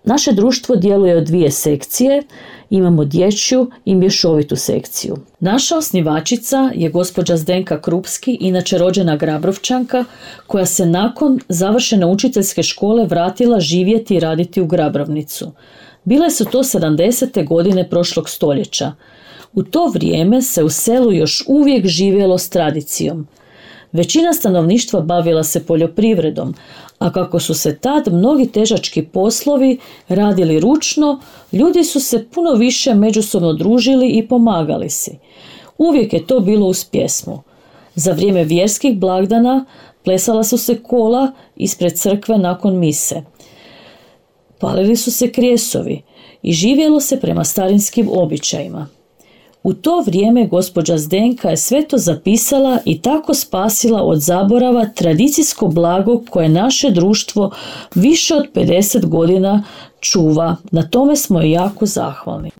Naše društvo djeluje od dvije sekcije, imamo dječju i mješovitu sekciju. Naša osnivačica je gospođa Zdenka Krupski, inače rođena Grabrovčanka, koja se nakon završene učiteljske škole vratila živjeti i raditi u Grabrovnicu. Bile su to 70. godine prošlog stoljeća. U to vrijeme se u selu još uvijek živjelo s tradicijom. Većina stanovništva bavila se poljoprivredom, a kako su se tad mnogi težački poslovi radili ručno, ljudi su se puno više međusobno družili i pomagali si. Uvijek je to bilo uz pjesmu. Za vrijeme vjerskih blagdana plesala su se kola ispred crkve nakon mise. Palili su se krijesovi i živjelo se prema starinskim običajima. U to vrijeme gospođa Zdenka je sve to zapisala i tako spasila od zaborava tradicijsko blago koje naše društvo više od 50 godina čuva. Na tome smo joj jako zahvalni.